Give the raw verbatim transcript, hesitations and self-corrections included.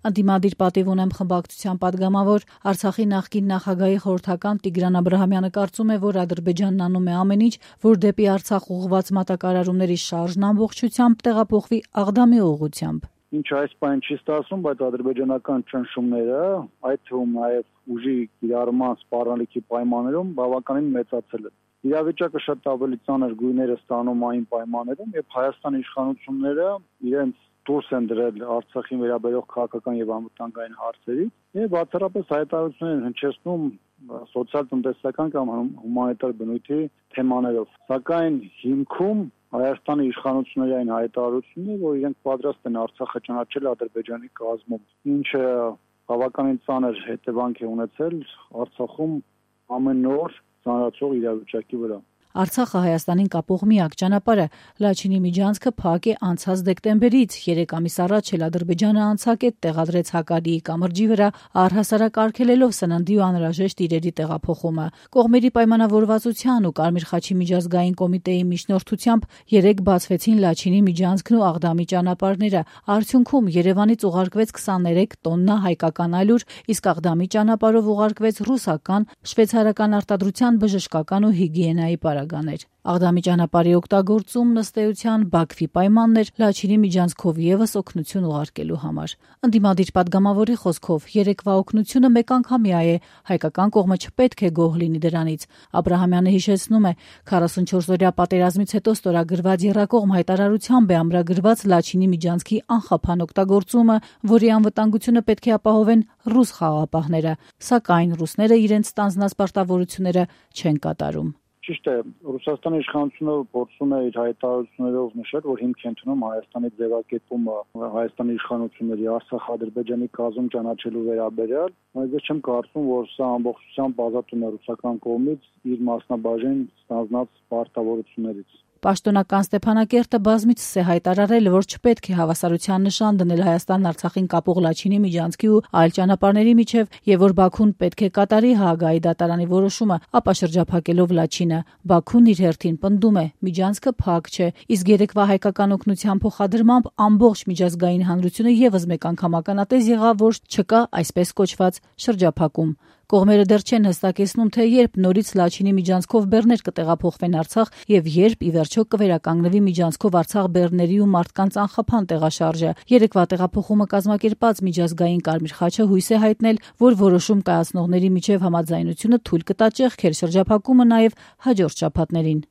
Ընդդիմադիր պատիվ ունեմ խմբակցության պատգամավոր, Արցախի նախկին նախագահի խորհրդական Տիգրան Աբրահամյանը կարծում է, որ Ադրբեջանն անում է ամեն ինչ, որ դեպի Արցախ ուղղված մատակարարումների շարժն ամբողջությամբ տեղափոխվի Աղդամի ուղղությամբ։ Ինչ այս բան չի ստացվում, բայց ադրբեջանական ճնշումները, այդ թվում նաև ուժի կիրառման սպառնալիքի պայմաններում բավականին մեծացել են։ Իրավիճակը շատ ավելի ծանր գույներ է ստանում այն պայմաններում, երբ Հայաստանի իշխանությունները իրենց դուրս են դրել Արցախին վերաբերող քաղաքական եւ անվտանգային հարցերից եւ բացառապես հայտարարություններ են հնչեցնում սոցիալ-տնտեսական կամ հումանիտար բնույթի թեմաներով։ Սակայն հիմքում Հայաստանի իշխանությունների այն հայտարարությունն է, որ իրենք պատրաստ են Արցախը ճանաչել Ադրբեջանի կազմում, ինչը բավականին ծանր հետևանք է ունեցել Արցախում ամեն օր ծանրացող իրավիճակի վրա։ Արցախը Հայաստանին կապող միակ ճանապարհը Լաչինի միջանցքը փակ է անցած դեկտեմբերից, երեք ամիս առաջ էլ Ադրբեջանը անցակետ տեղադրեց Հակարիի կամրջի վրա, առհասարակ արգելելով սննդի ու անհրաժեշտ իրերի տեղափոխումը։ Կողմերի պայմանավորվածության ու Կարմիր խաչի միջազգային կոմիտեի միջնորդությամբ երեք բացվեցին Լաչինի միջանցքն ու Աղդամի ճանապարհները։ Արդյունքում Երևանից ուղարկվեց քսաներեք տոննա հայկական ալյուր, իսկ Աղդամի ճանապարհով ուղարկվեց ռուսական, շվեյցարական արտադրության բժշկական ու հիգիենայի պարագաներ։ Աղդամի ճանապարհի օգտագործումն ըստ էության Բաքվի պայմանն էր Լաչինի միջանցքով եւս օգնություն ուղարկելու համար։ Ընդդիմադիր պատգամավորի խոսքով երեկվա օգնությունը մեկանգամյա է, հայկական կողմը չպետք է գոհ լինի դրանից։ Աբրահամյանը հիշեցնում է, քառասունչորս օրյա պատերազմից հետո ստորագրված եռակողմ հայտարարությամբ է ամրագրված Լաչինի միջանցքի անխափան օգտագործումը, որի անվտանգությունը պետք է ապահովեն ռուս խաղաղապահները, սակայն ռուսները իրենց ստանձնած պարտավորությունները չեն կատարում։ Ճիշտ է, Ռուսաստանի իշխանությունը փորձում է իր հայտարարություններով նշել, որ հիմք է ընդունում Հայաստանի ձևակերպումը Հայաստանի իշխանությունների Արցախ-Ադրբեջանի կազմ ճանաչելու վերաբերյալ, բայց ես չեմ կարծում, որ սա ամբողջությամբ ազատում է ռուսական կողմից իր մասնաբաժին ստանձնած պարտավորություններից։ Պաշտոնական Ստեփանակերտը բազմիցս է հայտարարել, որ չպետք է հավասարության նշան դնել Հայաստան-Արցախին կապող Լաչինի միջանցքի ու այլ ճանապարհների միջև, եւ որ Բաքուն պետք է կատարի Հաագայի դատարանի որոշումը, ապա շրջափակելով Լաչինը։ Բաքուն իր հերթին պնդում է, միջանցքը փակ չէ, իսկ երեկվա հայկական օգնության փոխադրմամբ ամբողջ միջազգային հանրությունը եւս մեկ անգամ ականատես եղավ, որ չկա այսպես կոչված շրջափակում։ Կողմերը դեռ չեն հստակեցնում, թե երբ նորից Լաչինի միջանցքով բեռներ կտեղափոխվեն Արցախ եւ երբ ի վերջո կվերականգնվի միջանցքով Արցախ բեռների ու մարդկանց անխափան տեղաշարժը։ Երեկվա տեղափոխումը կազմակերպած միջազգային Կարմիր խաչը հույս է հայտնել, որ որոշում կայացնողների միջև համաձայնությունը թույլ կտա ճեղքել շրջափակումը նաեւ հաջորդ շաբաթներին։